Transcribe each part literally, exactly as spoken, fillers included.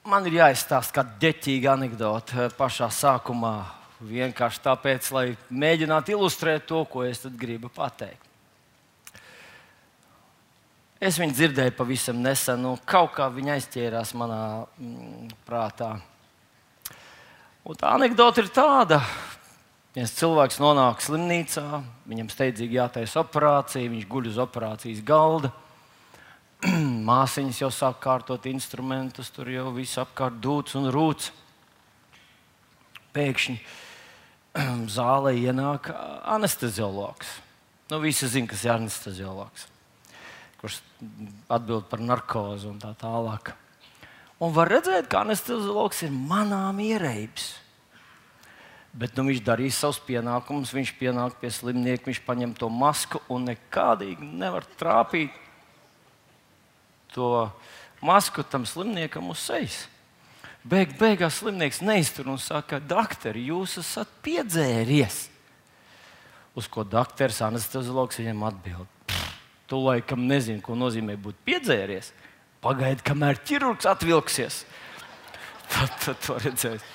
Man ir jāizstāsta kāda ģeķīga anekdote pašā sākumā. Vienkārši tāpēc, lai mēģinātu ilustrēt to, ko es gribu pateikt. Es viņu dzirdēju pavisam nesen, un kaut kā viņa aizķērās manā mm, prātā. Un tā anekdote ir tāda, ka viens cilvēks nonāk slimnīcā, viņam steidzīgi jātaisa operācija, viņš guļ uz operācijas galda. Māsiņas jau sāk kārtot instrumentus, tur jau viss apkārt dūts un rūts. Pēkšņi zālē ienāk anesteziologs. Nu, visi zina, kas ir anesteziologs, kurš atbild par narkozi un tā tālāk. Un var redzēt, ka anesteziologs ir manām ierēbis. Bet nu, viņš darīs savus pienākumus, viņš pienāk pie slimnieka, viņš paņem to masku un nekādīgi nevar trāpīt to masku tam slimniekam uz sejas. Beig, beigās slimnieks neiztur un saka, doktori, jūs esat piedzēries. Uz ko doktors, anesteziologs viņam atbild. Tu laikam nezini, ko nozīmē būt piedzēries. Pagaidi, kamēr ķirurgs atvilksies. Tad, tad to redzēs.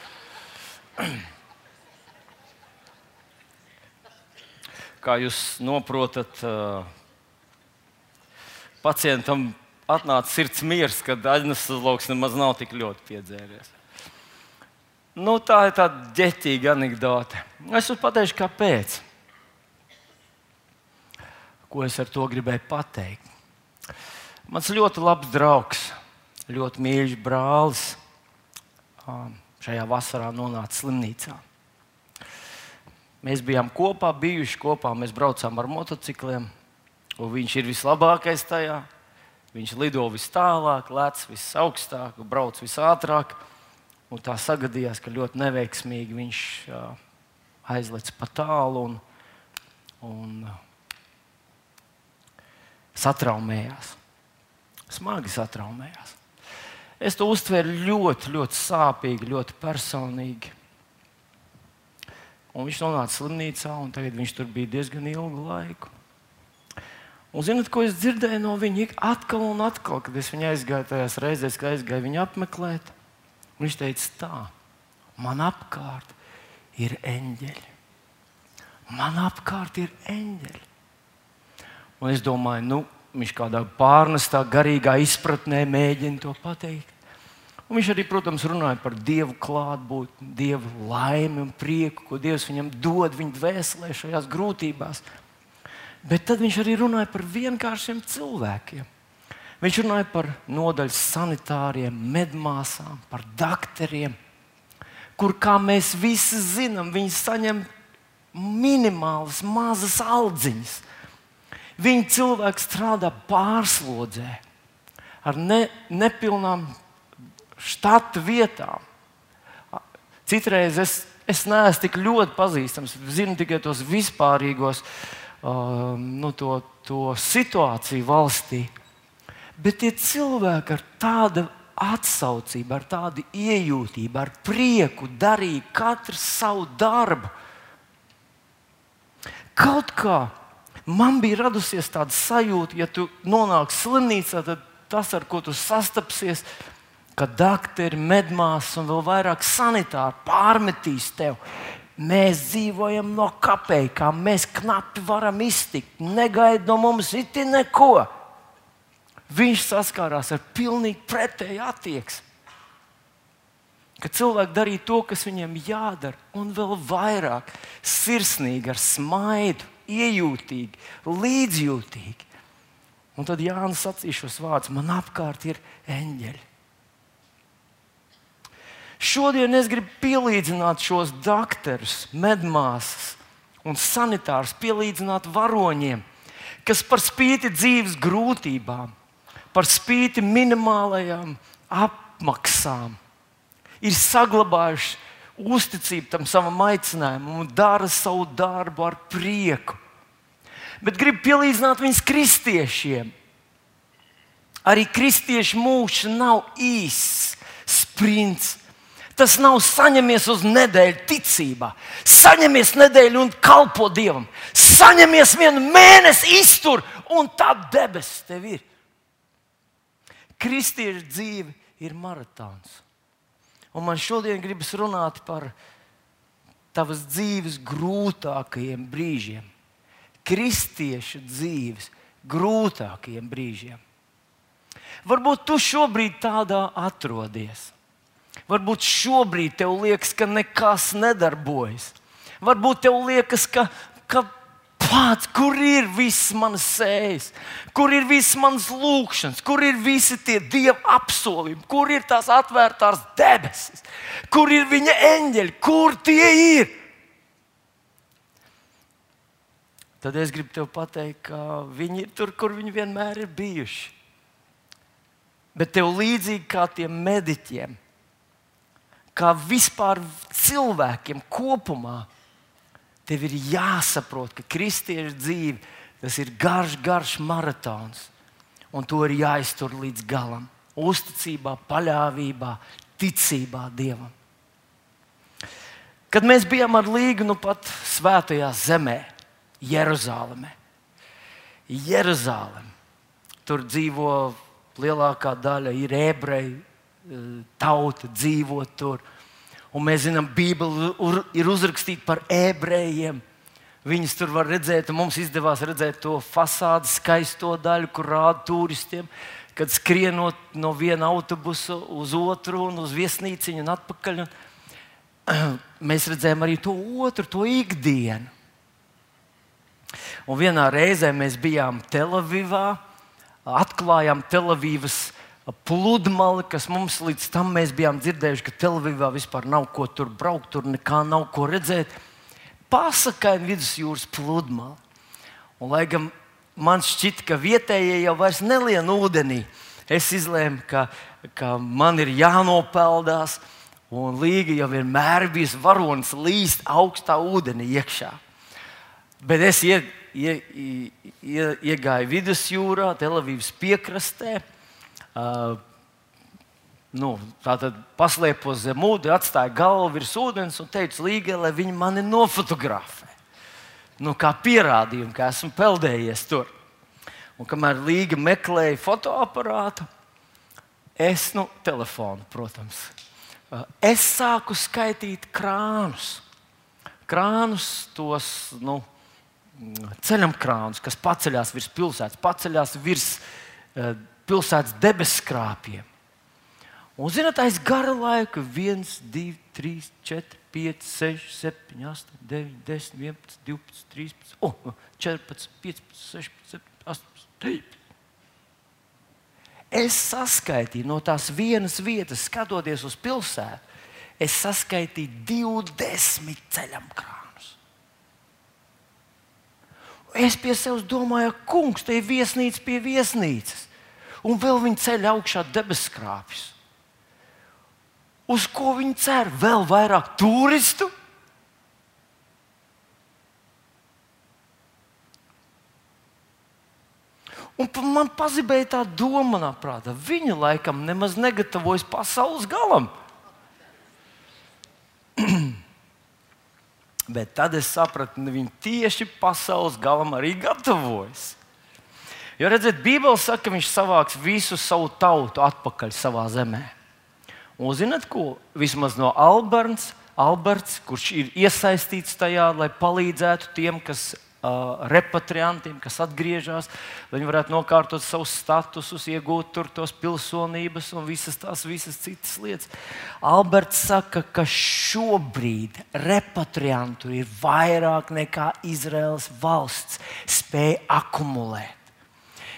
Kā jūs noprotat, pacientam atnāca sirds miers, kad anesteziologs nemaz nav tik ļoti piedzēries. Nu, tā ir tāda ģeķīga anekdote. Es jums pateikšu, kāpēc. Ko es ar to gribēju pateikt? Mans ļoti labs draugs, ļoti mīļš brālis šajā vasarā nonāca slimnīcā. Mēs bijām kopā, bijuši kopā, mēs braucām ar motocikliem, un viņš ir vislabākais tajā. Viņš lido vis tālāk, lec vis augstāk, brauc vis ātrāk. Un tā sagadījās, ka ļoti neveiksmīgi viņš uh, aizlec pa tālu un, un uh, satraumējās. Smagi satraumējās. Es to uztvēru ļoti, ļoti sāpīgi, ļoti personīgi. Un viņš nonāca slimnīcā, un tagad viņš tur bija diezgan ilgu laiku. Un zināt, ko es dzirdēju no viņa atkal un atkal, kad es viņu aizgāju tajās reizēs, kad aizgāju viņu apmeklēt. Viņš teica tā, man apkārt ir eņģeļi. Man apkārt ir eņģeļi. Un es domāju, nu, viņš kādā pārnestā garīgā izpratnē mēģina to pateikt. Un viņš arī, protams, runāja par Dievu klātbūtni, Dievu laimi un prieku, ko Dievs viņam dod viņa dvēselē šajās grūtībās. Bet tad viņš arī runāja par vienkāršiem cilvēkiem. Viņš runāja par nodaļas sanitāriem, medmāsām, par doktoriem, kur, kā mēs visi zinām, viņi saņem minimālas, mazas aldziņas. Viņi cilvēki strādā pārslodzē ar ne, nepilnām štata vietām. Citreiz es, es neesmu tik ļoti pazīstams, zinu tikai tos vispārīgos Uh, nu, to, to situāciju valstī. Bet tie cilvēki ar tādu atsaucību, ar tādu iejūtību, ar prieku darīja katrs savu darbu. Kaut kā man bija radusies tāda sajūta, ja tu nonāc slimnīcā, tad tas, ar ko tu sastapsies, ka doktori, medmāsas un vēl vairāk sanitāri pārmetīs tev. Mēs dzīvojam no kapekām, mēs knapi varam iztikt, negaida no mums iti neko. Viņš saskārās ar pilnīgi pretēju attieksmi. Ka cilvēki darīja to, kas viņiem jādara, un vēl vairāk sirsnīgi, ar smaidu, iejūtīgi, līdzjūtīgi. Un tad Jānis sacīja šos vārdus: man apkārt ir eņģeļi. Šodien es gribu pielīdzināt šos doktorus, medmāsas un sanitārus, pielīdzināt varoņiem, kas par spīti dzīves grūtībām, par spīti minimālajām apmaksām, ir saglabājuši uzticību tam savam aicinājumam un dara savu darbu ar prieku. Bet gribu pielīdzināt viņus kristiešiem. Arī kristiešu mūžs nav īss sprints. Tas nav saņemies uz nedēļu ticībā. Saņemies nedēļu un kalpo Dievam. Saņemies vienu mēnesi iztur un tā debesis tev ir. Kristiešu dzīve ir maratons. Un man šodien gribas runāt par tavas dzīves grūtākajiem brīžiem. Kristiešu dzīves grūtākajiem brīžiem. Varbūt tu šobrīd tādā atrodies. Varbūt šobrīd tev liekas, ka nekas nedarbojas. Varbūt tev liekas, ka, ka pats, kur ir viss manas sējas, kur ir viss manas lūkšanas, kur ir visi tie Dieva apsolījumi, kur ir tās atvērtās debesis, kur ir viņa eņģeļi, kur tie ir. Tad es gribu tev pateikt, ka viņi ir tur, kur viņi vienmēr ir bijuši. Bet tev līdzīgi kā tiem mediķiem, kā vispār cilvēkiem kopumā, tev ir jāsaprot, ka kristiešu dzīve tas ir garš, garš maratons. Un to ir jāiztur līdz galam. Uzticībā, paļāvībā, ticībā Dievam. Kad mēs bijām ar Līgu nu pat svētajā zemē, Jeruzālēmē. Jeruzālēm. Tur dzīvo lielākā daļa, ir ebreji, tauta dzīvo tur. Un mēs zinām, Bībele ir uzrakstīta par ebrejiem. Viņus tur var redzēt, un mums izdevās redzēt to fasādi skaisto daļu, kur rāda turistiem, kad skrienot no viena autobusa uz otru un uz viesnīciņu un atpakaļ. Un mēs redzējām arī to otru, to ikdienu. Un vienā reizē mēs bijām Telavivā, atklājām Telavivas pludmali, kas mums līdz tam mēs bijām dzirdējuši, ka Telavivā vispār nav ko tur braukt, tur nekā nav ko redzēt. Pasakaini vidusjūras pludmali. Un, lai gan man šķita, ka vietējie jau vairs nelien ūdenī, es izlēmu, ka, ka man ir jānopeldās, un Līga jau vienmēr bijis varonis līst augstā ūdenī iekšā. Bet es ie, ie, ie, iegāju vidusjūrā, Telavivas piekrastē, uh, nu, tātad paslēpos zem ūdeni, atstāju galvu virs ūdens un teicu Līgai, lai viņi mani nofotografē. Nu, kā pierādījumu, ka esmu peldējies tur. Un kamēr Līga meklēja fotoaparātu, es, nu, telefonu, protams, uh, es sāku skaitīt krānus. Krānus tos, nu, ceļam krānus, kas paceļās virs pilsētas, paceļās virs uh, pilsētas debeskrāpiem. Un, zināt, aiz gara laika viens, divi, trīs, četri, pieci, seši, septiņi, astoņi, deviņi, desmit, vienpadsmit, divpadsmit, trīspadsmit, oh, četrpadsmit, piecpadsmit, sešpadsmit, septiņpadsmit, astoņpadsmit, deviņpadsmit. Es saskaitīju no tās vienas vietas, skatoties uz pilsētu, es saskaitīju divdesmit ceļam krānus. Es pie sevis domāju, kungs, te ir viesnīca pie viesnīcas. Un vēl viņi ceļ augšā debeskrāpjus. Uz ko viņi cer? Vēl vairāk turistu? Un man pazibēja tā doma manā prātā. Viņi laikam nemaz negatavojas pasaules galam. Bet tad es sapratu, ka viņi tieši pasaules galam arī gatavojas. Jo, redziet, Bībele saka, ka viņš savāks visu savu tautu atpakaļ savā zemē. Un zināt ko? Vismaz no Alberts, Alberts, kurš ir iesaistīts tajā, lai palīdzētu tiem, kas uh, repatriantiem, kas atgriežas, lai viņi varētu nokārtot savus statusus, iegūt tur tos pilsonības un visas tās visas citas lietas. Alberts saka, ka šobrīd repatriantu ir vairāk nekā Izraēlas valsts spēja akumulēt.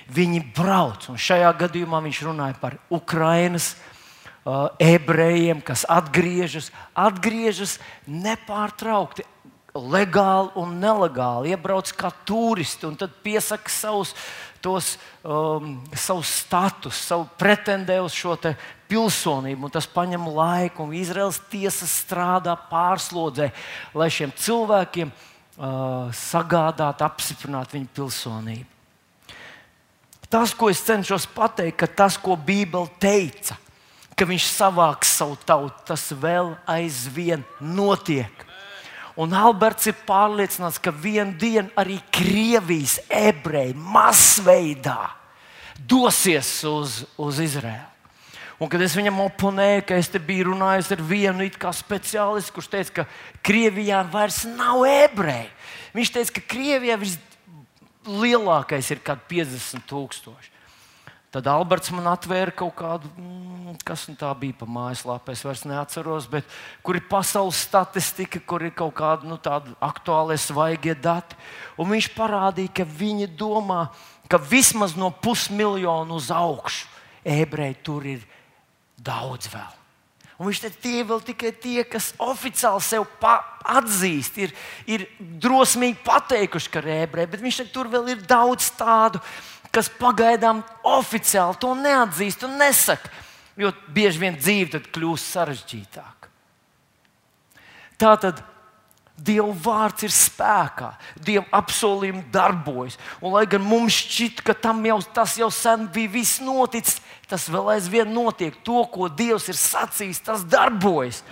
Viņi brauc, un šajā gadījumā viņš runāja par Ukrainas uh, ebrejiem, kas atgriežas, atgriežas nepārtraukti, legāli un nelegāli, iebrauc kā turisti un tad piesaka savus, tos, um, savu status, savu pretendē uz šo te pilsonību, un tas paņem laiku, un Izraēlas tiesa strādā pārslodzē, lai šiem cilvēkiem uh, sagādātu, apstiprinātu viņu pilsonību. Tas, ko es cenšos pateikt, ka tas, ko Bībele teica, ka viņš savāks savu tautu, tas vēl aizvien notiek. Un Alberts ir pārliecināts, ka vienu dienu arī Krievijas ebreji masveidā dosies uz, uz Izraēlu. Un kad es viņam oponēju, ka es te biju runājis ar vienu it kā speciālistu, kurš teica, ka Krievijā vairs nav ebreji. Viņš teica, ka Krievijā vislielākais ir kaut piecdesmit tūkstoši. Tad Alberts man atvēra kaut kādu, mm, kas tā bija pa mājaslapu, es vairs neatceros, bet kur ir pasaules statistika, kur ir kaut kādi nu, tādi aktuālie svaigie dati. Un viņš parādīja, ka viņi domā, ka vismaz no pusmiljonu uz augšu ebreji tur ir daudz vēl. Un viņš teica, tie vēl tikai tie, kas oficiāli sev atzīst, ir, ir drosmīgi pateikuši, ka ir ebreji, bet viņš teica, tur vēl ir daudz tādu, kas pagaidām oficiāli to neatzīst un nesaka, jo bieži vien dzīve tad kļūst sarežģītāka. Tātad Dieva vārds ir spēkā, Dieva apsolījumi darbojas. Un, lai gan mums šķiet, ka tam jau, tas jau sen bija viss noticis, tas vēl aizvien notiek. To, ko Dievs ir sacījis, tas darbojas.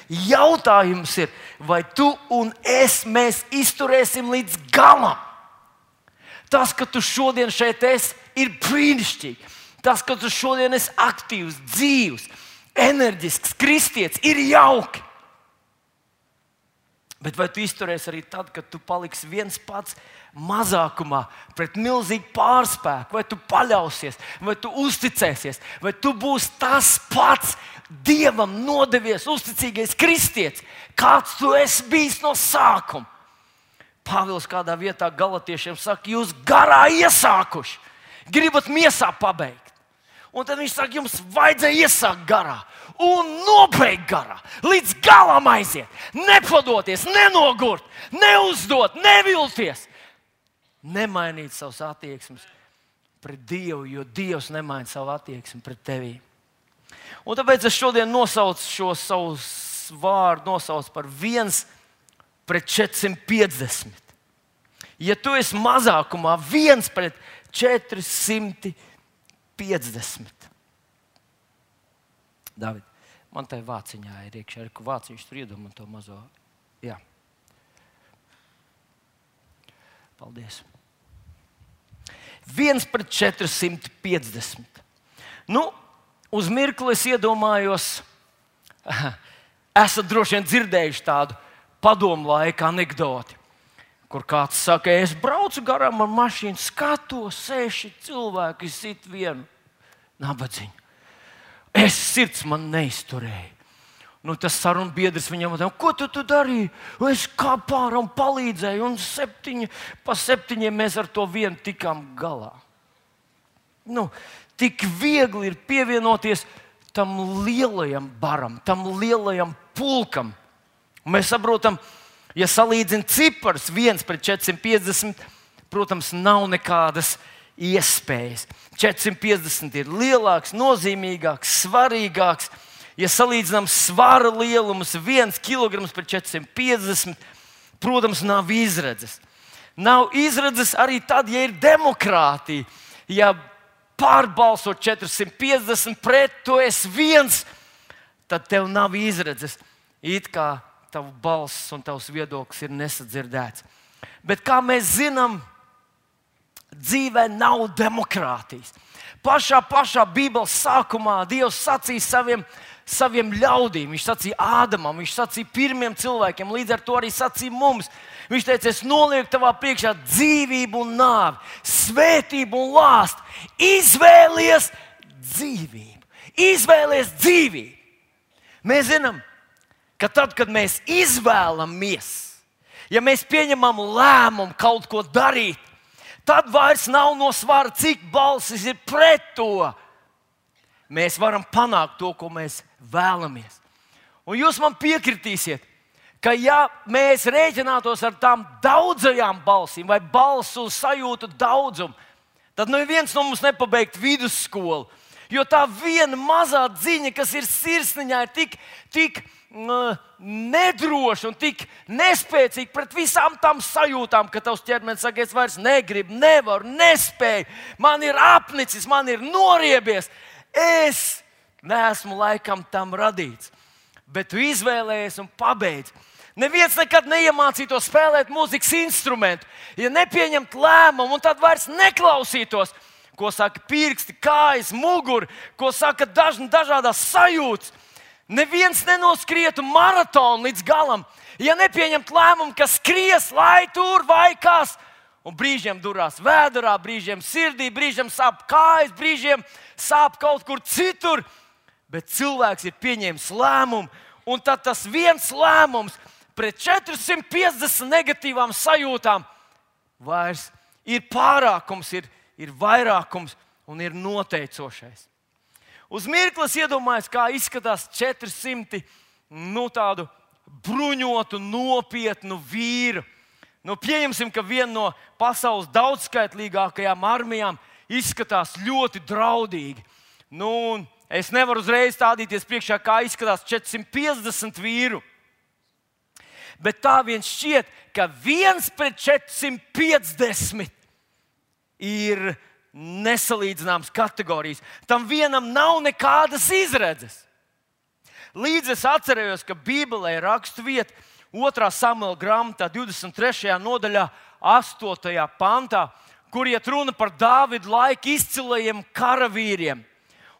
Jautājums ir, vai tu un es mēs izturēsim līdz galam? Tas, ka tu šodien šeit esi, ir brīnišķīgi. Tas, ka tu šodien esi aktīvs, dzīvs, enerģisks, kristietis, ir jauki. Bet vai tu izturēsi arī tad, kad tu paliksi viens pats mazākumā pret milzīgu pārspēku? Vai tu paļausies, vai tu uzticēsies, vai tu būsi tas pats Dievam nodevies, uzticīgais kristietis, kāds tu esi bijis no sākuma? Pāvils kādā vietā galatiešiem saka, jūs garā iesākuši, gribat miesā pabeigt. Un tad viņš saka, jums vajadzēja iesākt garā un nobeigt garā, līdz galam aiziet, nepadoties, nenogurt, neuzdot, nevilties, nemainīt savas attieksmes pret Dievu, jo Dievs nemaina savu attieksmi pret tevi. Un tāpēc es šodien nosaucu šo savu vārdu nosaucu par viens pret četrsimt piecdesmit. Ja tu esi mazākumā, viens pret četrsimt piecdesmit. David, man tai vāciņā ir iekšā, ar ko vāciņš tur iedomā to mazo. Jā. Paldies. viens pret četrsimt piecdesmit. Nu, uz mirkli es iedomājos, esat droši vien dzirdējuši tādu padomu laika anekdoti, kur kāds saka, es braucu garām ar mašīnu, skatos, seši cilvēki sit vienu nabadzīņu. Es sirds man neizturēju. Nu, tas sarunbiedrs viņam teica, ko tu, tu darīji? Es kā pārā un palīdzēju, un septiņi, pa septiņiem mēs ar to vienu tikām galā. Nu, tik viegli ir pievienoties tam lielajam baram, tam lielajam pulkam. Un mēs saprotam, ja salīdzina cipars viens pret četrsimt piecdesmit, protams, nav nekādas iespējas. četrsimt piecdesmit ir lielāks, nozīmīgāks, svarīgāks. Ja salīdzinām svara lielumus, viens kilograms pret četrsimt piecdesmit, protams, nav izredzes. Nav izredzes arī tad, ja ir demokrātija. Ja pārbalsot četrsimt piecdesmit pret, tu esi viens, tad tev nav izredzes. It kā tavs balss un tavs viedoklis ir nesadzirdēts. Bet kā mēs zinām, dzīvē nav demokrātijas. Pašā, pašā Bībeles sākumā Dievs sacīja saviem, saviem ļaudīm. Viņš sacīja Ādamam, viņš sacīja pirmiem cilvēkiem, līdz ar to arī sacīja mums. Viņš teica, es nolieku tavā priekšā dzīvību un nāvi, svētību un lāstu. Izvēlies dzīvību. Izvēlies dzīvību. Mēs zinām, ka tad, kad mēs izvēlamies, ja mēs pieņemam lēmumu kaut ko darīt, tad vairs nav no svara, cik balsis ir pret to. Mēs varam panākt to, ko mēs vēlamies. Un jūs man piekritīsiet, ka ja mēs rēķinātos ar tām daudzajām balsīm vai balsu sajūtu daudzumu, tad neviens no mums nepabeigtu vidusskolu. Jo tā viena mazā dziņa, kas ir sirsniņā, ir tik, tik uh, nedroša un tik nespēcīga pret visām tām sajūtām, ka tavs ķermenis saka, es vairs negribu, nevaru, nespēju, man ir apnicis, man ir noriebies. Es neesmu laikam tam radīts, bet tu izvēlējies un pabeidz. Neviens nekad neiemācītos spēlēt mūzikas instrumentu, ja nepieņemt lēmumu un tad vairs neklausītos, ko saka pirksti, kājas, muguri, ko saka dažni dažādas sajūtas. Neviens nenoskrietu maratonu līdz galam, ja nepieņemt lēmumu, ka skries, lai tur vai kas. Un brīžiem durās vēderā, brīžiem sirdī, brīžiem sāp kājas, brīžiem sāp kaut kur citur. Bet cilvēks ir pieņēmis lēmumu, un tad tas viens lēmums pret četrsimt piecdesmit negatīvām sajūtām vairs ir pārākums, ir, ir vairākums un ir noteicošais. Uz mirkli iedomājos, kā izskatās četrsimt nu, tādu bruņotu, nopietnu vīru. Nu, pieņemsim, ka viena no pasaules daudzskaitlīgākajām armijām izskatās ļoti draudīgi. Nu, es nevaru uzreiz stādīties priekšā, kā izskatās četrsimt piecdesmit vīru. Bet tā viens šķiet, ka viens pret četrsimt piecdesmit ir nesalīdzināmas kategorijas. Tam vienam nav nekādas izredzes. Līdz es atcerējos, ka Bībelē ir raksturvieta otrā Samuela grāmatā, divdesmit trešajā nodaļā, astotajā pantā, kur iet runa par Dāvida laika izcilajiem karavīriem.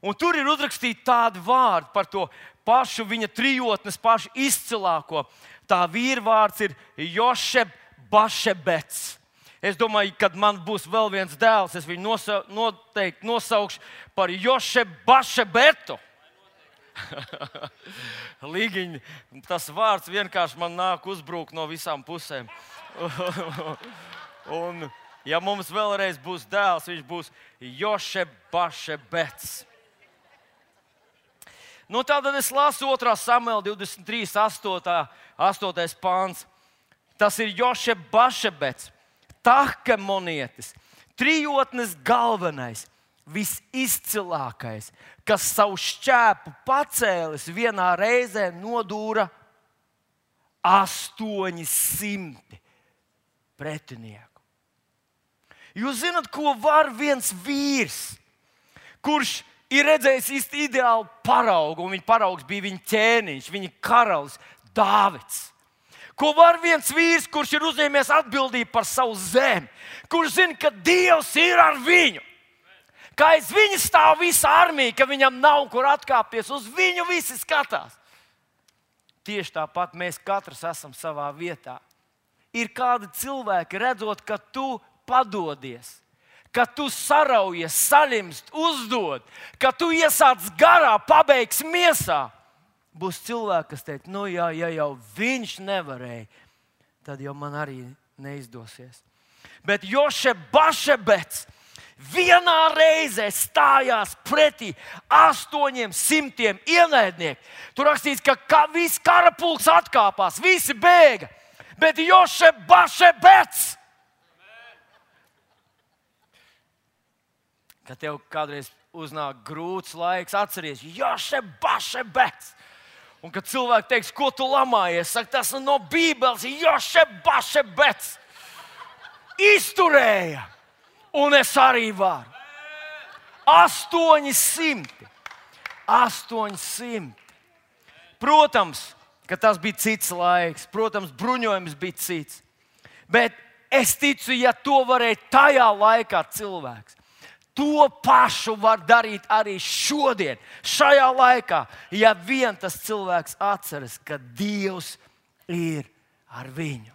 Un tur ir uzrakstīti tādi vārdi par to pašu viņa trijotnes, pašu izcilāko. Tā vīra vārds ir Jošeb Bašebets. Es domāju, kad man būs vēl viens dēls, es viņu nosa, noteikti nosaukšu par Jošebu Bašebetu. Līgiņ, tas vārds vienkārši man nāk uzbrukt no visām pusēm. Un, ja mums vēlreiz būs dēls, viņš būs Jošeb Bašebets. Nu, tātad es lasu otrā Samuela divdesmit trīs, astotais pāns. Tas ir Jošeb Bašebets. Tahkemonietis, trijotnes galvenais, visizcilākais, kas savu šķēpu pacēlis vienā reizē nodūra astoņi simti pretinieku. Jūs zināt, ko var viens vīrs, kurš ir redzējis īsti ideālu paraugu, un viņa paraugs bija viņa ķēniņš, viņa karalis Dāvids. Ko var viens vīrs, kurš ir uzņēmies atbildību par savu zemi, kurš zina, ka Dievs ir ar viņu, ka aiz viņa stāv visa armija, ka viņam nav kur atkāpties, uz viņu visi skatās. Tieši tāpat mēs katrs esam savā vietā. Ir kādi cilvēki, redzot, ka tu padodies, ka tu saraujies, saļimst, uzdod, ka tu iesāc garā, pabeigts miesā. Būs cilvēki, kas teiks, nu jā, ja jau viņš nevarēja, tad jau man arī neizdosies. Bet Jošeb Bašebets vienā reizē stājās pretī astoņiem simtiem ienaidnieku. Tur rakstīts, ka, ka viss karapulks atkāpās, visi bēga. Bet Jošeb Bašebets, kad tev kādreiz uznāk grūts laiks, atceries, Jošeb Bašebets. Un kad cilvēki teiks, ko tu lamājies, saka, tas no Bībeles, Jošeb Bašebets izturēja, un es arī varu. Astoņi simti. Astoņi simti. Protams, ka tas bija cits laiks, protams, bruņojums bija cits. Bet es ticu, ja to varēja tajā laikā cilvēks, to pašu var darīt arī šodien, šajā laikā, ja vien tas cilvēks atceras, ka Dievs ir ar viņu.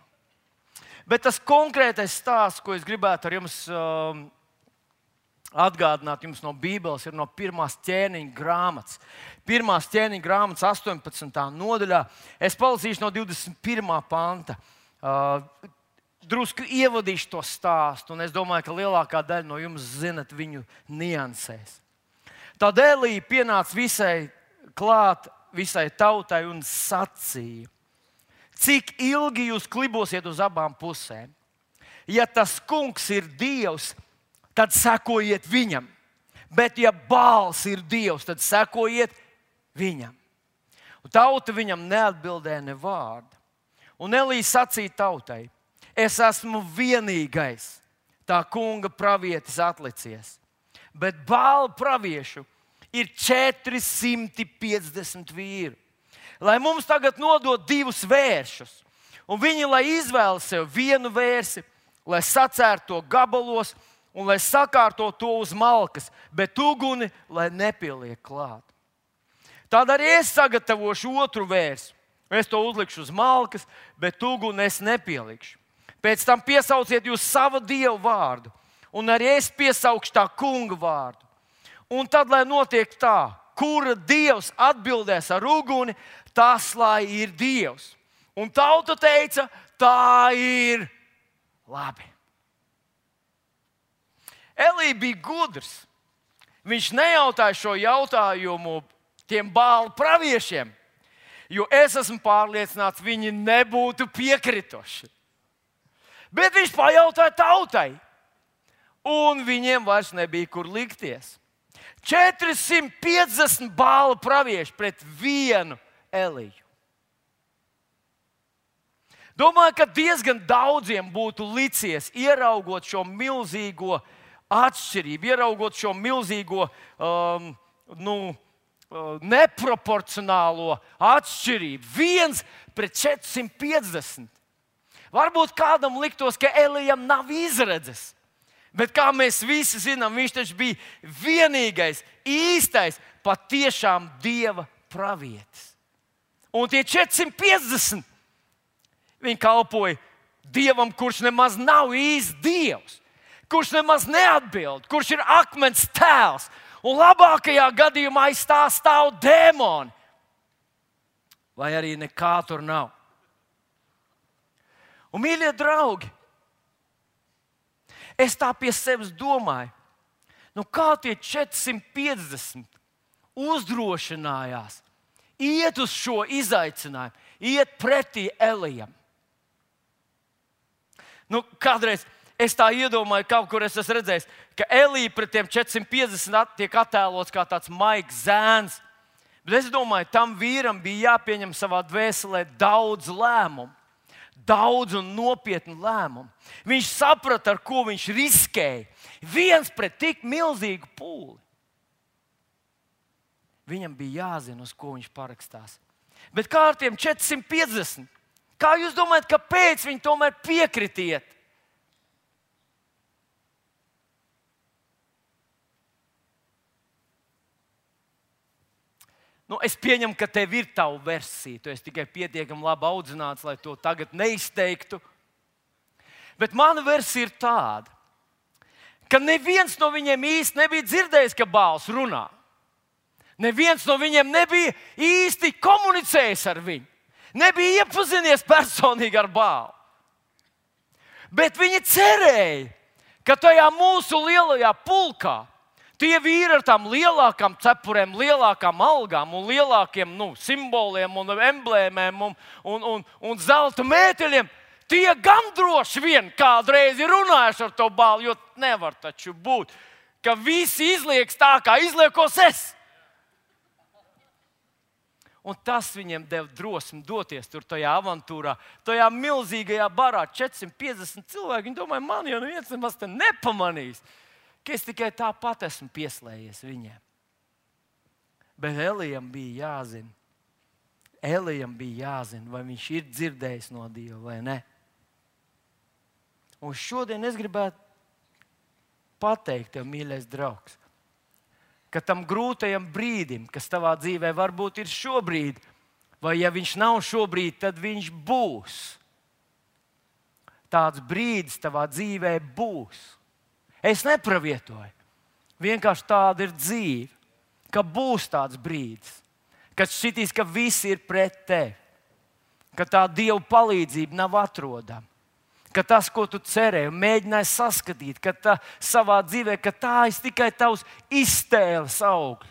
Bet tas konkrētais stāsts, ko es gribētu ar jums um, atgādināt jums no Bībeles, ir no pirmās ķēniņa grāmatas. Pirmās ķēniņa grāmatas astoņpadsmitā nodaļā. Es palasīšu no divdesmit pirmā panta. Uh, Drusku ievadīšu to stāstu, un es domāju, ka lielākā daļa no jums zinat viņu niansēs. Tad Elija pienāca visai klāt, visai tautai un sacīja: cik ilgi jūs klibosiet uz abām pusēm? Ja tas kungs ir Dievs, tad sekojiet viņam. Bet ja Bāls ir Dievs, tad sekojiet viņam. Un tauta viņam neatbildēja ne vārdu. Un Elija sacīja tautai: es esmu vienīgais tā kunga pravietis atlicies, bet Bāla praviešu ir četri simti piecdesmit vīri. Lai mums tagad nodod divus vēršus, un viņi lai izvēlas sev vienu vērsi, lai sacērtu to gabalos un lai sakārto to uz malkas, bet uguni lai nepieliek klāt. Tad arī es sagatavošu otru vērsu. Es to uzlikšu uz malkas, bet uguni es nepielikšu. Pēc tam piesauciet jūs savu dievu vārdu, un arī es piesaukšu tā kunga vārdu. Un tad, lai notiek tā, kura dievs atbildēs ar uguni, tas lai ir dievs. Un tauta teica, tā ir labi. Elija bija gudrs. Viņš nejautāja šo jautājumu tiem Bāla praviešiem, jo es esmu pārliecināts, viņi nebūtu piekritoši. Bet viņš pajautāja tautai, un viņiem vairs nebija kur likties. četri simti piecdesmit Bāla pravieši pret vienu Eliju. Domāju, ka diezgan daudziem būtu licies, ieraugot šo milzīgo atšķirību, ieraugot šo milzīgo um, nu, neproporcionālo atšķirību. Viens pret četri simti piecdesmit. Varbūt kādam liktos, ka Elijam nav izredzes. Bet kā mēs visi zinām, viņš taču bija vienīgais, īstais, patiešām Dieva pravietis. Un tie četri simti piecdesmit, viņi kalpoja Dievam, kurš nemaz nav īsts Dievs, kurš nemaz neatbild, kurš ir akmens tēls. Un labākajā gadījumā aiz tā stāv dēmoni. Vai arī nekā tur nav. Un, mīļie draugi, es tā pie sevis domāju, nu kā tie četri simti piecdesmit uzdrošinājās iet uz šo izaicinājumu, iet pretī Elijam. Nu, kādreiz es tā iedomāju, kaut kur es esmu redzējis, ka Elija pret tiem četri simti piecdesmit tiek attēlots kā tāds maigs zēns. Bet es domāju, tam vīram bija jāpieņem savā dvēselē daudz lēmumu. Daudz un nopietnu lēmumu. Viņš saprata, ar ko viņš riskēja. Viens pret tik milzīgu pūli. Viņam bija jāzina, uz ko viņš parakstās. Bet kā ar tiem četri simti piecdesmit? Kā jūs domājat, kāpēc viņi tomēr piekritiet? Nu, es pieņemu, ka tev ir tava versija. Tu esi tikai pietiekami labi audzināts, lai to tagad neizteiktu. Bet mana versija ir tāda, ka neviens no viņiem īsti nebija dzirdējis, ka Bāls runā. Neviens no viņiem nebija īsti komunicējis ar viņu. Nebija iepazinies personīgi ar Bālu. Bet viņi cerēja, ka tajā mūsu lielajā pulkā tie vīri ar tām lielākām cepurēm, lielākām algām un lielākiem nu, simboliem un emblēmēm un, un, un, un zelta mēteļiem, tie gan droši vien kādreiz ir runājuši ar to Bālu, jo nevar taču būt, ka visi izlieks tā, kā izliekos es. Un tas viņiem deva drosmi doties tur tajā avantūrā, tajā milzīgajā barā, četri simti piecdesmit cilvēki. Viņi domāja, man jau neviens nemaz te nepamanīs, ka es tikai tāpat esmu pieslējies viņiem. Bet Elijam bija jāzina, Elijam bija jāzina, vai viņš ir dzirdējis no Dieva vai ne. Un šodien es gribētu pateikt tev, mīļais draugs, ka tam grūtajam brīdim, kas tavā dzīvē varbūt ir šobrīd, vai ja viņš nav šobrīd, tad viņš būs. Tāds brīdis tavā dzīvē būs. Es nepravietoju. Vienkārši tāda ir dzīve, ka būs tāds brīdis, kad šķitīs, ka visi ir pret tevi, ka tā Dieva palīdzība nav atrodama, ka tas, ko tu cerēji un mēģināji saskatīt, ka tā savā dzīvē, ka tā ir tikai tavs iztēles augļi.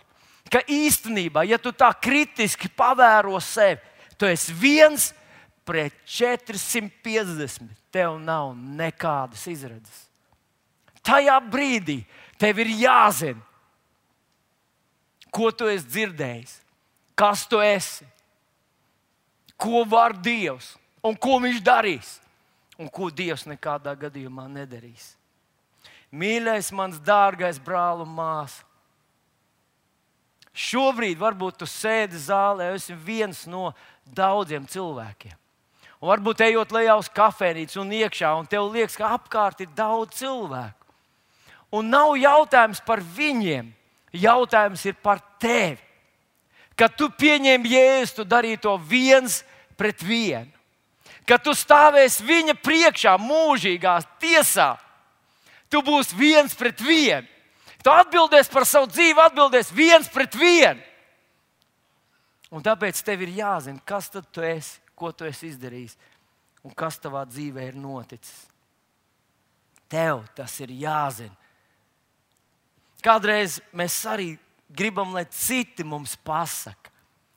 Ka īstenībā, ja tu tā kritiski pavēro sevi, tu esi viens pret četri simti piecdesmit. Tev nav nekādas izredzes. Tajā brīdī tev ir jāzina, ko tu esi dzirdējis, kas tu esi, ko var Dievs un ko Viņš darīs. Un ko Dievs nekādā gadījumā nedarīs. Mīļais, mans dārgais brāl un māsa, šobrīd varbūt tu sēdi zālē, esi viens no daudziem cilvēkiem. Un varbūt ejot lejā uz kafejnīcu un iekšā, un tev liekas, ka apkārt ir daudz cilvēku. Un nav jautājums par viņiem, jautājums ir par tevi. Kad tu pieņem Jēzu, tu darīji to viens pret vienu. Kad tu stāvēsi viņa priekšā mūžīgā tiesā, tu būsi viens pret vienu. Tu atbildēsi par savu dzīvi, atbildēsi viens pret vienu. Un tāpēc tev ir jāzina, kas tad tu esi, ko tu esi izdarījis un kas tavā dzīvē ir noticis. Tev tas ir jāzina. Kādreiz mēs arī gribam, lai citi mums pasaka,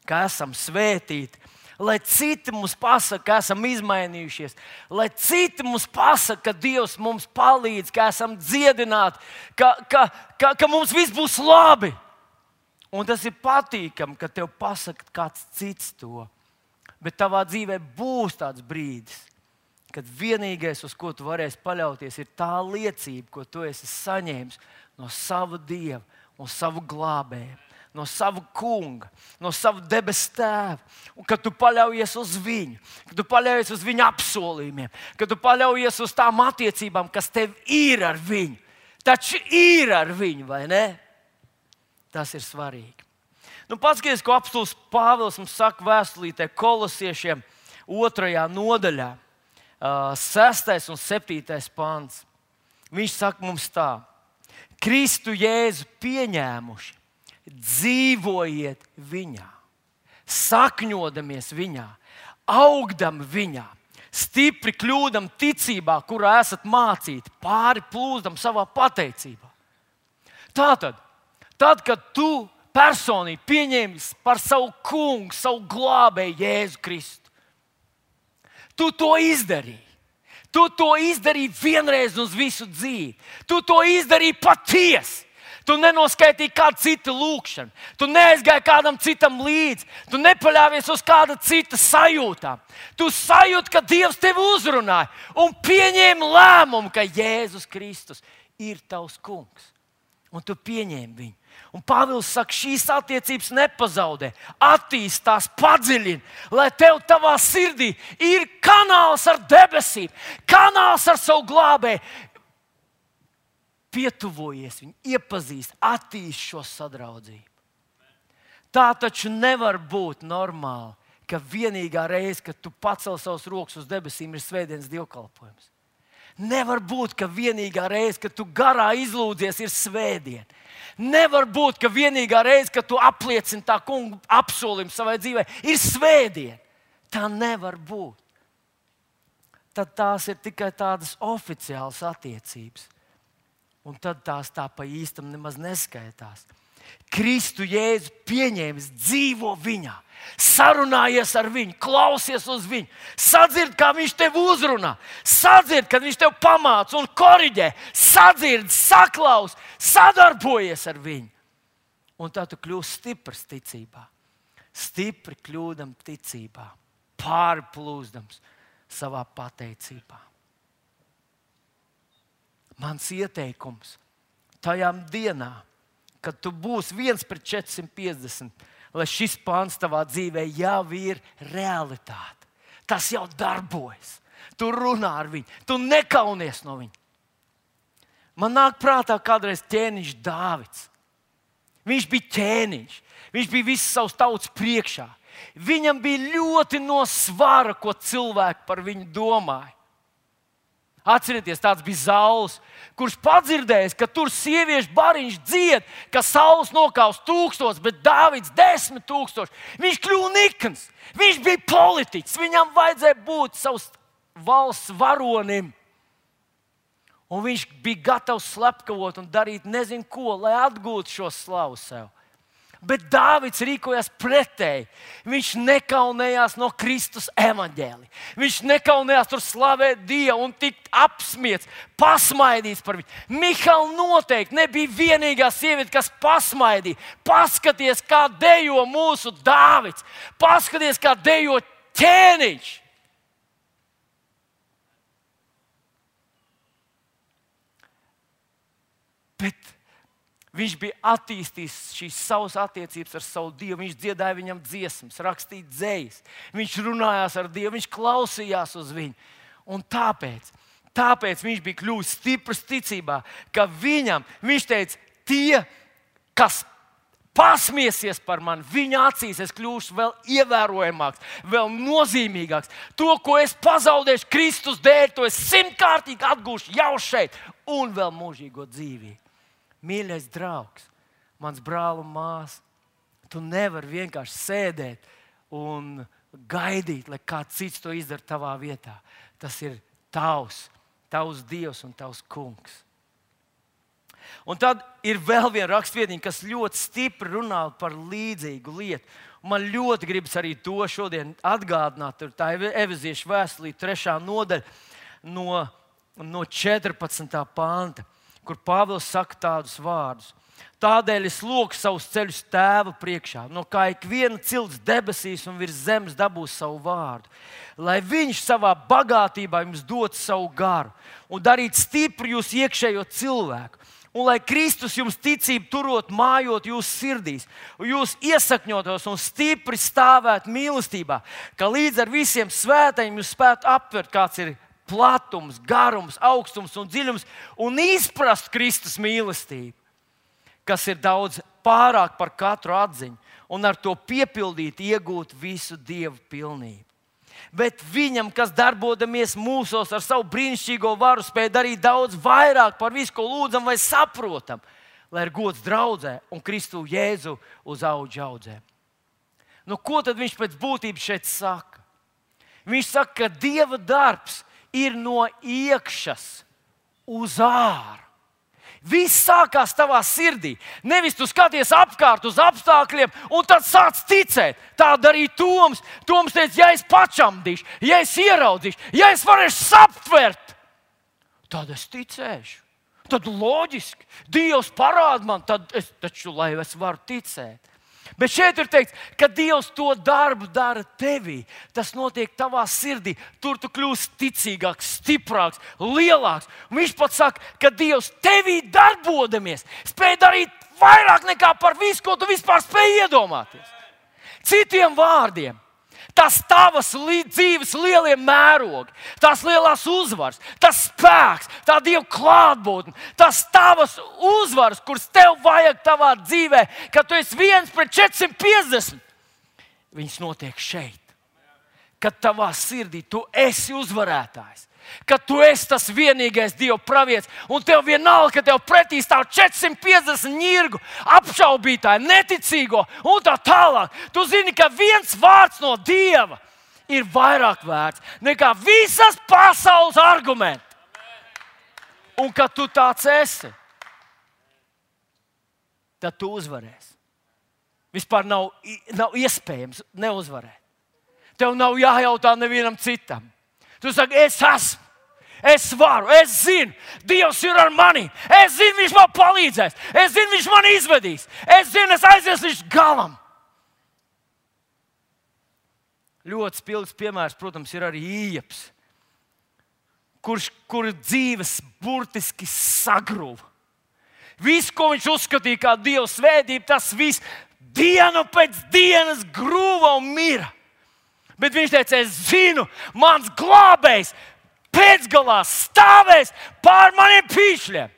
ka esam svētīti, lai citi mums pasaka, ka esam izmainījušies, lai citi mums pasaka, ka Dievs mums palīdz, ka esam dziedināti, ka, ka, ka, ka mums viss būs labi. Un tas ir patīkami, ka tev pasaka kāds cits to. Bet tavā dzīvē būs tāds brīdis, kad vienīgais, uz ko tu varēsi paļauties, ir tā liecība, ko tu esi saņēmis no sava Dieva un savu glābēju, no sava kunga, no sava debesu tēva. Un kad tu paļaujies uz viņu, kad tu paļaujies uz viņa apsolījumiem, kad tu paļaujies uz tām attiecībām, kas tev ir ar viņu. Taču ir ar viņu, vai ne? Tas ir svarīgi. Nu, paskaties, ko apostols Pāvils mums saka vēstulītē Kolosiešiem otrajā nodaļā, sestais un septītais pants. Viņš saka mums tā: Kristu Jēzu pieņēmuši, dzīvojiet viņā, sakņodamies viņā, augdam viņā, stipri kļūdam ticībā, kurā esat mācīti, pāri plūzdam savā pateicībā. Tātad, tad, kad tu personīgi pieņēmi par savu kungu, savu glābēju Jēzu Kristu, tu to izdarīji. Tu to izdarīji vienreiz uz visu dzīvi. Tu to izdarīji patiesi. Tu nenoskaitīji kādu citu lūgšanu. Tu neaizgāji kādam citam līdzi. Tu nepaļāvies uz kāda cita sajūtām. Tu sajūti, ka Dievs tevi uzrunāja un pieņēmi lēmumu, ka Jēzus Kristus ir tavs kungs. Un tu pieņēmi viņu. Un Pāvils saka, šīs attiecības nepazaudē, attīstās, padziļina, lai tev tavā sirdī ir kanāls ar debesīm, kanāls ar savu glābēju. Pietuvojies viņu, iepazīst, attīst šo sadraudzību. Tā taču nevar būt normāli, ka vienīgā reize, kad tu pacel savus rokas uz debesīm, ir svētdienas dievkalpojums. Nevar būt, ka vienīgā reize, kad tu garā izlūdzies, ir svētdiena. Nevar būt, ka vienīgā reize, kad tu apliecini tā kunga apsolījumu savai dzīvē, ir svētdiena. Tā nevar būt. Tad tās ir tikai tādas oficiālas attiecības. Un tad tās tā pa īstam nemaz neskaitās. Kristu Jēzu pieņēmis, dzīvo viņā, sarunājies ar viņu, klausies uz viņu, sadzird, kā viņš tev uzrunā, sadzird, kad viņš tev pamāca un koriģē, sadzird, saklaus, sadarbojies ar viņu. Un tad tu kļūsi stiprs ticībā, stipri kļūdam ticībā, pārplūzdams savā pateicībā. Mans ieteikums tajām dienām, kad tu būsi viens pret četrsimt piecdesmit, lai šis pāns tavā dzīvē jau ir realitāte. Tas jau darbojas. Tu runā ar viņu, tu nekaunies no viņa. Man nāk prātā kādreiz ķēniņš Dāvids. Viņš bija ķēniņš, viņš bija visas savas tautas priekšā. Viņam bija ļoti no svara, ko cilvēki par viņu domāja. Atcerieties, tāds bija Sauls, kurš padzirdējis, ka tur sieviešu bariņš dzied, ka Sauls nokaus tūkstots, bet Dāvids desmit tūkstoši. Viņš kļuva nikns, viņš bija politiķis, viņam vajadzēja būt savs valsts varonim. Un viņš bija gatavs slepkavot un darīt nezinu ko, lai atgūtu šo slavu sev. Bet Dāvids rīkojās pretēji. Viņš nekaunējās no Kristus evaņģēlija. Viņš nekaunējās tur slavēt Dievu un tikt apsmiets, pasmaidīts par viņu. Mihal noteikti nebija vienīgā sieviete, kas pasmaidīja. Paskaties, kā dejo mūsu Dāvids. Paskaties, kā dejo ķēniņš. Bet viņš bija attīstījis šīs savas attiecības ar savu Dievu. Viņš dziedāja viņam dziesmas, rakstīja dzejas. Viņš runājās ar Dievu, viņš klausījās uz viņu. Un tāpēc tāpēc viņš bija kļuvis stiprs ticībā, ka viņam, viņš teica, tie, kas pasmiesies par mani, viņa acīs es kļūšu vēl ievērojamāks, vēl nozīmīgāks. To, ko es pazaudēšu Kristus dēļ, to es simtkārtīgi atgūšu jau šeit un vēl mūžīgo dzīvību. Mīļais draugs, mans brāl un māsa, tu nevari vienkārši sēdēt un gaidīt, lai kāds cits to izdara tavā vietā. Tas ir tavs, tavs Dievs un tavs kungs. Un tad ir vēl viena rakstvietiņa, kas ļoti stipri runā par līdzīgu lietu. Un man ļoti gribas arī to šodien atgādināt. Tā ir Efeziešu vēstulē trešā nodaļa no, no četrpadsmitā panta, kur Pāvils saka tādus vārdus. Tādēļ es lūgšu savus ceļus Tēva priekšā, no kā ik viena cilts debesīs un virs zemes dabūs savu vārdu, lai viņš savā bagātībā jums dod savu garu un darītu stipru jūs iekšējo cilvēku. Un lai Kristus jums ticību turot, mājot jūsu sirdīs, un jūs iesakņotos un stipri stāvētu mīlestībā, ka līdz ar visiem svētajiem jūs spētu aptvert, kāds ir platums, garums, augstums un dziļums, un izprast Kristus mīlestību, kas ir daudz pārāk par katru atziņu, un ar to piepildīt, iegūt visu Dievu pilnību. Bet viņam, kas darbodamies mūsos ar savu brīnišķīgo varu, spēj darīt daudz vairāk par visu, ko lūdzam vai saprotam, lai ir gods draudzē un Kristu Jēzu uz auģu audzēm. Nu, ko tad viņš pēc būtības šeit saka? Viņš saka, ka Dieva darbs ir no iekšas uz āru. Viss sākās tavā sirdī. Nevis tu skaties apkārt uz apstākļiem un tad sāc ticēt. Tā darīja Toms. Toms teica, ja es pačamdīšu, ja es ieraudzīšu, ja es varēšu saptvert, tad es ticēšu. Tad loģiski, Dievs parāda man, tad es taču, lai es varu ticēt. Bet šeit ir teikts, ka Dievs to darbu dara tevī. Tas notiek tavā sirdī. Tur tu kļūsi ticīgāks, stiprāks, lielāks. Un viņš pat saka, ka Dievs tevī darbodamies spēj darīt vairāk nekā par visu, ko tu vispār spēj iedomāties. Citiem vārdiem, tas tavas li- dzīves lielie mērogi, tās lielās uzvaras, tas spēks, tā Dieva klātbūtne, tas tavas uzvaras, kuras tev vajag tavā dzīvē, kad tu esi viens pret četrsimt piecdesmit. Viņas notiek šeit, kad tavā sirdī tu esi uzvarētājs, kad tu esi tas vienīgais Dieva pravietis, un tev vienalga, ka tev pretī stāv četrsimt piecdesmit ņirgu, apšaubītāji, neticīgo un tā tālāk. Tu zini, ka viens vārds no Dieva ir vairāk vērts nekā visas pasaules argumenti. Un kad tu tāds esi, tad tu uzvarēsi. Vispār nav, nav iespējams neuzvarēt. Tev nav jājautā nevienam citam. Tu saki, es esmu, es varu, es zinu, Dievs ir ar mani. Es zinu, viņš man palīdzēs. Es zinu, viņš man izvedīs. Es zinu, es aizies līdz galam. Ļoti spilgts piemērs, protams, ir arī Ieps, kurš, kur dzīves burtiski sagruva. Viss, ko viņš uzskatīja kā Dieva svētību, tas viss dienu pēc dienas grūva un mira. Bet viņš teica, es zinu, mans glābējs pēcgalā stāvēs pār maniem pīšļiem.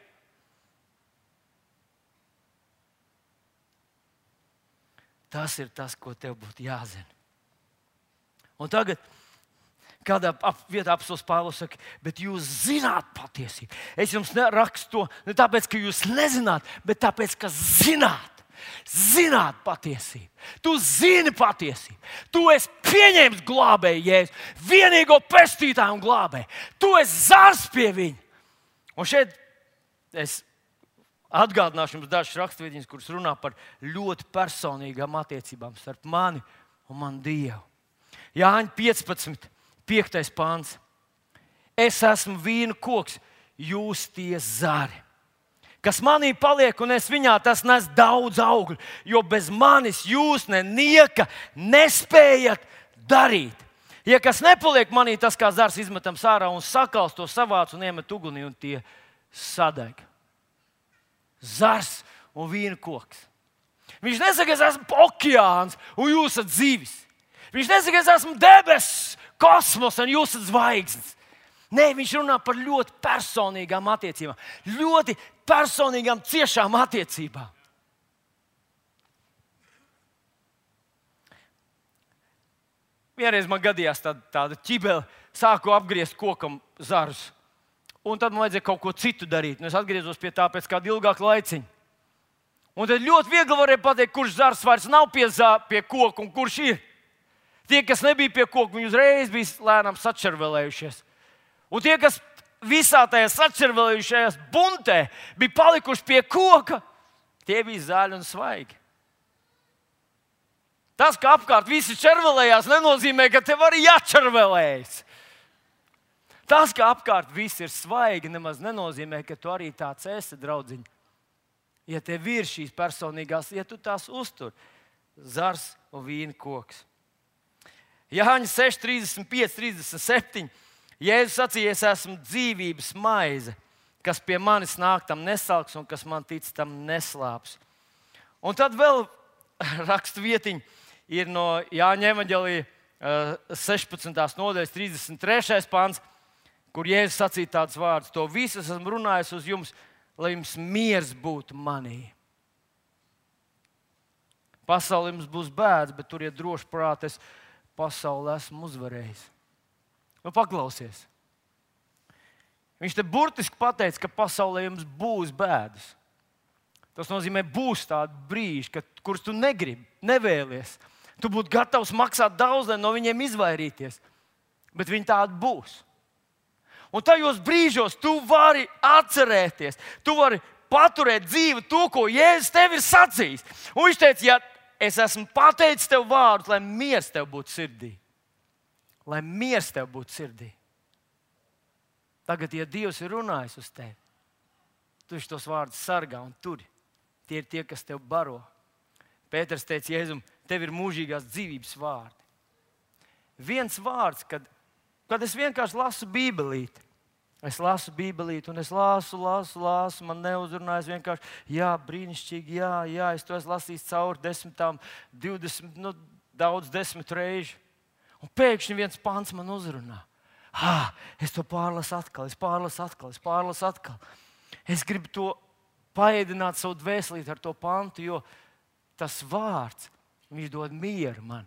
Tas ir tas, ko tev būtu jāzina. Un tagad, kādā vietā apostils Pāvils saka, bet jūs zināt patiesību. Es jums rakstu to ne tāpēc, ka jūs nezināt, bet tāpēc, ka zināt. Zināt patiesību. Tu zini patiesību. Tu esi pieņēmis glābēju Jēzu, vienīgo pestītāju un glābēju. Tu esi zars pie viņa. Un šeit es atgādināšu jums dažas raksturvietas, kuras runā par ļoti personīgām attiecībām starp mani un manu Dievu. Jāņa piecpadsmit, piektais pants. Es esmu vīnu koks, jūs tie zari. Kas manī paliek un es viņā, tas nes daudz augļu, jo bez manis jūs nenieka nespējat darīt. Ja kas nepaliek manī, tas kā zars izmetams ārā un sakals to savāc un iemet ugunī un tie sadeg. Zars un vīna koks. Viņš nesaka, es esmu okeāns un jūs esat zivis. Viņš nesaka, es esmu debesis, kosmos un jūs esat zvaigznes. Nē, viņš runā par ļoti personīgām attiecībām, ļoti personīgām, ciešām attiecībām. Vienreiz man gadījās tāda, tāda ķibele, sāku apgriezt kokam zarus. Un tad man vajadzēja kaut ko citu darīt. Un es atgriezos pie tā pēc kāda ilgāka laiciņa. Un tad ļoti viegli varēja pateikt, kurš zars vairs nav pie, zā, pie koka un kurš ir. Tie, kas nebija pie koka, viņi uzreiz bija lēnām sačervelējušies. Un tie, kas visā tajā sačervelējušajās buntē bija palikuši pie koka, tie bija zaļi un svaigi. Tas, ka apkārt visi červelējās, nenozīmē, ka tev arī jāčervelējas. Tas, ka apkārt viss ir svaigi, nemaz nenozīmē, ka tu arī tāds esi, draudziņ. Ja tev ir šīs personīgās, ja tu tās uztur, zars un vīna koks. Jāņa seši, trīsdesmit pieci, trīsdesmit septiņi. Jēzus sacīja, es esmu dzīvības maize, kas pie manis nāk, tam nesalks, un kas man tic, tam neslāps. Un tad vēl rakstu vietiņa ir no Jāņa evaņģēlija sešpadsmitās nodaļas trīsdesmit trešais pants, kur Jēzus sacīja tādus vārdus: to visu esmu runājis uz jums, lai jums miers būtu manī. Pasaulē jums būs bēdas, bet turiet droši prātā, es pasauli esmu uzvarējis. Nu, paklausies. Viņš te burtiski pateica, ka pasaulē jums būs bēdas. Tas nozīmē, būs tādi brīži, kad, kurus tu negribi, nevēlies. Tu būtu gatavs maksāt daudz, lai no viņiem izvairīties. Bet viņi tādi būs. Un tajos brīžos tu vari atcerēties, tu vari paturēt dzīvi to, ko Jēzus tev ir sacījis. Un viņš teica, ja es esmu pateicis tev vārdus, lai miers tev būtu sirdī. Lai miers tev būtu sirdī. Tagad, ja Dievs ir runājis uz tevi, tu šos vārdus sargā un turi. Tie ir tie, kas tev baro. Pēters teica Jēzum, tev ir mūžīgās dzīvības vārdi. Viens vārds, kad, kad es vienkārši lasu Bībelīti. Es lasu Bībelīti un es lasu, lasu, lasu. Man neuzrunājas vienkārši, jā, brīnišķīgi, jā, jā, es to esmu lasījis cauri desmitām, divdesmit, nu, daudz desmit reižu. Un pēkšņi viens pants man uzrunā. Ha, es to pārlasu atkal, es pārlasu atkal, es pārlasu atkal. Es gribu to paēdināt savu dvēselīti ar to pantu, jo tas vārds, viņš dod mieru man,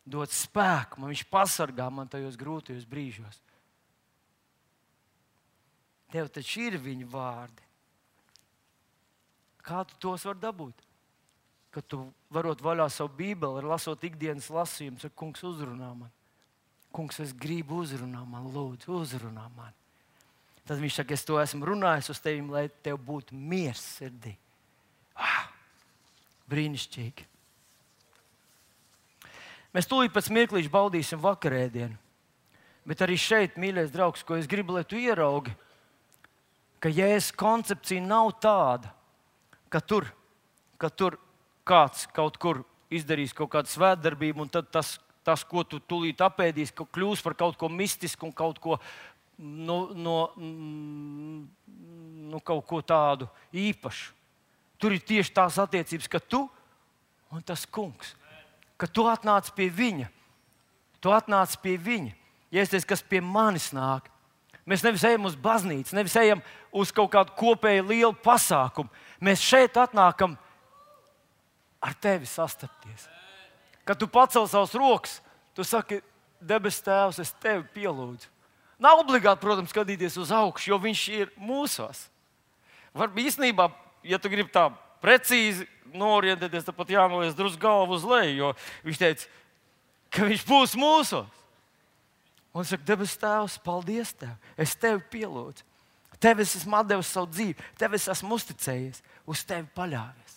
dod spēku man, viņš pasargā man tajos grūtajos brīžos. Tev taču ir viņa vārdi. Kā tu tos var dabūt? Kad tu varot vaļā savu Bībeli, lasot ikdienas lasījumus, ar kungs uzrunā man. Kungs, es gribu uzrunā man, lūdzu, uzrunā man. Tad viņš saka, es to esmu runājis uz tevi, lai tev būtu miers sirdī. Ah, brīnišķīgi. Mēs tūlīt pēc mirklīša baudīsim vakarēdienu. Bet arī šeit, mīļais draugs, ko es gribu, lai tu ieraugi, ka Jēzus koncepcija nav tāda, ka tur, ka tur kāds kaut kur izdarīs kaut kādu svētdarbību, un tad tas, tas ko tu tūlīt apēdīs, kļūs par kaut ko mistisku un kaut ko, no, no, no kaut ko tādu īpašu. Tur ir tieši tās attiecības, ka tu un tas kungs, ka tu atnāc pie viņa, tu atnāc pie viņa. Ja es teicu, kas pie manis nāk, mēs nevis ejam uz baznīcu, nevis ejam uz kaut kādu kopēju lielu pasākumu. Mēs šeit atnākam ar tevi sastapties. Kad tu pacel savus rokas, tu saki, debes Tēvs, es tevi pielūdzu. Nav obligāti, protams, skatīties uz augšu, jo viņš ir mūsos. Varbūt īstenībā, ja tu gribi tā precīzi norientēties, tad pat jānoliec drusku galvu uz leju, jo viņš teica, ka viņš būs mūsos. Un es saku, debes Tēvs, paldies Tev, es tevi pielūdzu. Tev es esmu atdevis savu dzīvi, Tev es esmu uzticējies, uz Tevi paļāvies.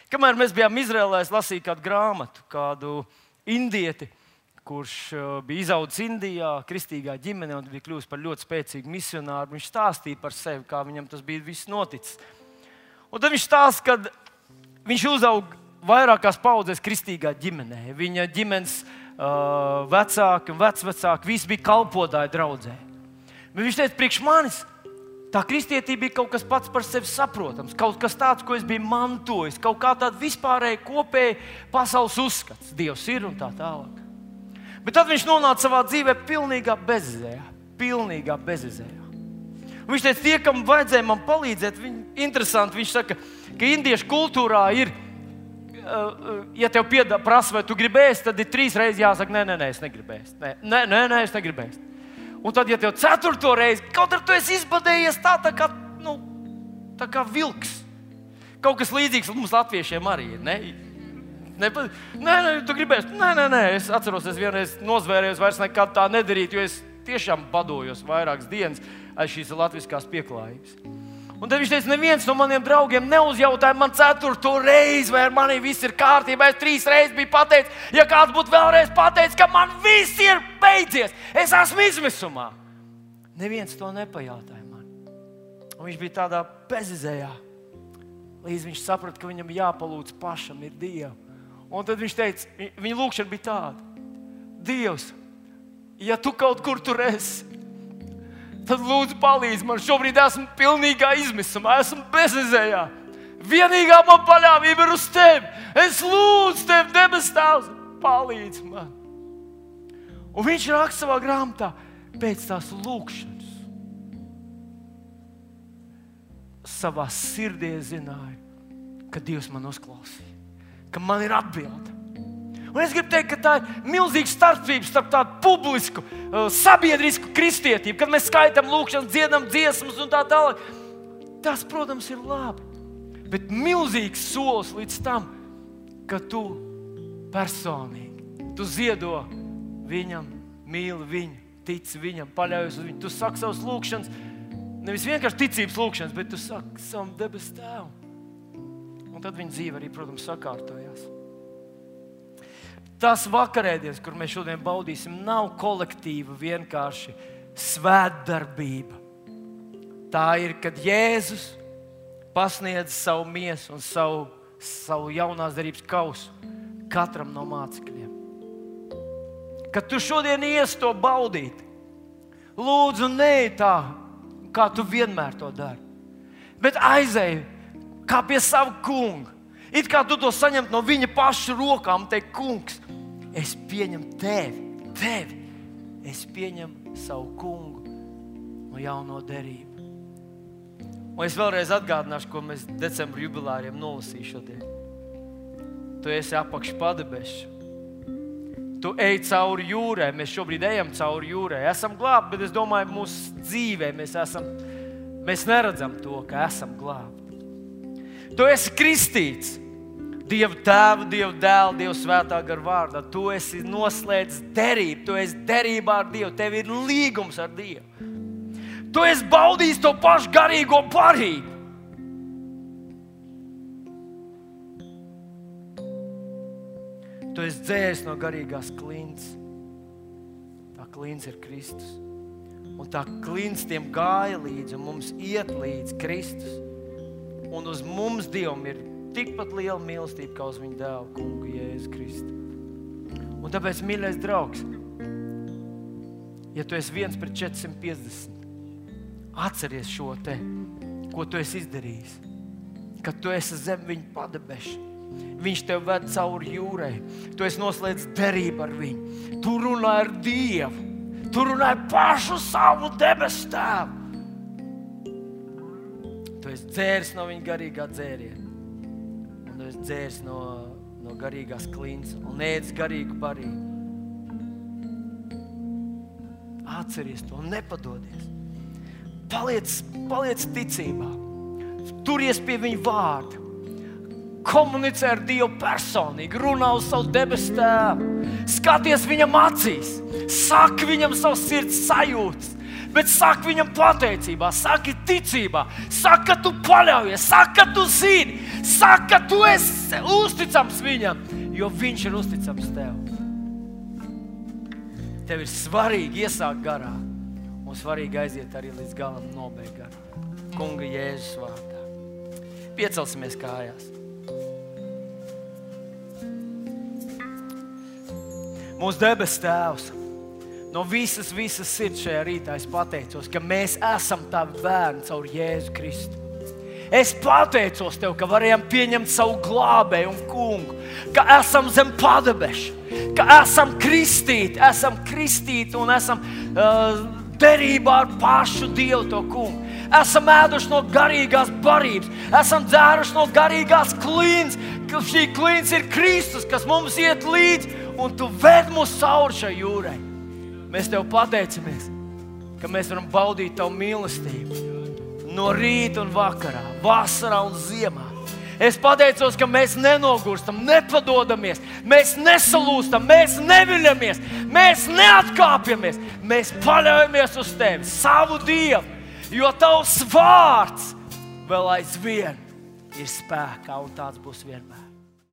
Kamēr mēs bijām Izrēlē, es lasīju kādu grāmatu, kādu indieti, kurš bija izaudzis Indijā, kristīgā ģimenē un bija kļuvis par ļoti spēcīgu misionāru. Viņš stāstīja par sevi, kā viņam tas bija viss noticis. Un tad viņš stāsta, ka viņš uzauga vairākās paudzēs kristīgā ģimenē. Viņa ģimenes uh, vecāki un vecvecāki visi bija kalpotāji draudzē. Bet viņš teica, priekš manis tā kristietība bija kaut kas pats par sevi saprotams, kaut kas tāds, ko es biju mantojis, kaut kā tāda vispārēja kopēja pasaules uzskats. Dievs ir un tā tālāk. Bet tad viņš nonāca savā dzīvē pilnīgā bezzējā. pilnīgā bezizējā. Un viņš teica, tie, kam vajadzēja man palīdzēt, viņi, interesanti, viņš saka, ka indiešu kultūrā ir, ja tev piedā, prasa, vai tu gribēsi, tad ir trīs reizes jāsaka, nē, nē, nē, es negribēju. Nē, nē, nē, nē, es negribēju. Un tad, ja tev ceturto reizi, kaut ar tu esi izbadējies tā, tā kā, nu, tā kā vilks. Kaut kas līdzīgs mums latviešiem arī ir, ne? Nē, nē, nē, tu gribēsi, nē, nē, nē, es atceros, es vienreiz nozvērējos, vairs nekad tā nedarīt, jo es tiešām badojos vairākas dienas aiz šīs latviskās pieklājības. Un tad viņš teica, neviens no maniem draugiem neuzjautāja man ceturto reizi, vai ar mani viss ir kārtībā. Es trīs reizes biju pateicis, ja kāds būtu vēlreiz pateicis, ka man viss ir beidzies, es esmu izmisumā. Neviens to nepajautāja man. Un viņš bija tādā bezizējā, līdz viņš saprata, ka viņam jāpalūdz pašam ir Dievu. Un tad viņš teica, viņa lūkšana bija tāda: Dievs, ja tu kaut kur tur esi, tad lūdzu palīdzi man. Šobrīd esmu pilnīgā izmisumā, esmu bezizējā. Vienīgā man paļāvība ir uz tevi. Es lūdzu tevi, debes Tēvs, palīdzi man. Un viņš raksta savā grāmatā, pēc tās lūkšanas savā sirdī zināja, ka Dievs man uzklausīja, ka man ir atbilde. Un es gribu teikt, ka tā ir milzīga starpība starp tādu publisku, sabiedrisku kristietību, kad mēs skaitam lūkšanas, dziedam dziesmas un tā tālāk. Tas, protams, ir labi. Bet milzīgs solis līdz tam, ka tu personīgi, tu ziedo viņam, mīli viņu, tici viņam, paļaujies uz viņu. Tu saki savas lūkšanas, nevis vienkārši ticības lūkšanas, bet tu saki savam debes Tēvam. Un tad viņa dzīve arī, protams, sakārtojās. Tas vakarēdienas, kur mēs šodien baudīsim, nav kolektīva vienkārši svētdarbība. Tā ir, kad Jēzus pasniedz savu miesu un savu, savu jaunās derības kausu katram no mācekļiem. Kad tu šodien ies to baudīt, lūdzu, ne tā, kā tu vienmēr to dari, bet aizej kā pie sava kunga. It kā tu to saņemt no viņa paša rokām, teikt, kungs, es pieņemu tevi, tevi, es pieņemu savu kungu no jauno derību. Un es vēlreiz atgādināšu, ko mēs decembra jubilāriem nolasīju šodien. Tu esi apakš padebešu. Tu ej cauri jūrai, mēs šobrīd ejam cauri jūrai. Esam glābti, bet es domāju, mūsu dzīvē mēs esam, mēs neredzam to, ka esam glābti. Tu esi kristīts Dieva Tēva, Dieva Dēla, Dieva Svētā gara vārdā. Tu esi noslēdzis derību, tu esi derībā ar Dievu, tev ir līgums ar Dievu. Tu esi baudījis to pašu garīgo barību. Tu esi dzēris no garīgās klints. Tā klints ir Kristus. Un tā klints tiem gāja līdzi, un mums iet līdzi Kristus. Un uz mums Dievam ir tikpat liela mīlestība, kā uz viņa dēlu, kungu Jēzu Kristu. Un tāpēc, mīļais draugs, ja tu esi viens pret četrsimt piecdesmit, atceries šo te, ko tu esi izdarījis. Kad tu esi zem viņa padebeša, viņš tev ved cauri jūrai, tu esi noslēdzis derību ar viņu, tu runā ar Dievu, tu runā ar pašu savu debes Tēvu. Tu esi dzēris no viņa garīgā dzēriena. Un tu esi dzēris no, no garīgās klints un ēdis garīgu barību. Atceries to un nepadodies. Paliec, paliec ticībā. Turies pie viņa vārda. Komunicē ar Dievu personīgi. Runā uz savu debes Tēvu. Skaties viņam acīs. Saki viņam savas sirds sajūtas. Bet saki viņam pateicībā, saki ticībā, saki, ka tu paļaujies, saki, ka tu zini, saki, ka tu esi uzticams viņam, jo viņš ir uzticams tev. Tev ir svarīgi iesākt garā un svarīgi aiziet arī līdz galam nobeigt garā. Kunga Jēzus vārdā. Piecelsimies kājās. Mūsu debes Tēvs, no visas, visas sirds šajā rītā es pateicos, ka mēs esam tavi bērni caur Jēzu Kristu. Es pateicos Tev, ka varējām pieņemt savu glābēju un kungu, ka esam zem padebeša, ka esam kristīti, esam kristīti un esam uh, derībā ar pašu Dievu to kungu. Esam ēduši no garīgās barības, esam dzēruši no garīgās klīns, ka šī klīns ir Kristus, kas mums iet līdzi, un tu ved mūs cauri šai jūrai. Mēs tev pateicamies, ka mēs varam baudīt tavu mīlestību no rīta un vakarā, vasarā un ziemā. Es pateicos, ka mēs nenogurstam, nepadodamies, mēs nesalūstam, mēs neviļamies, mēs neatkāpjamies, mēs paļaujamies uz tevi, savu Dievu, jo tavs vārds vēl aizvien ir spēkā un tāds būs vienmēr.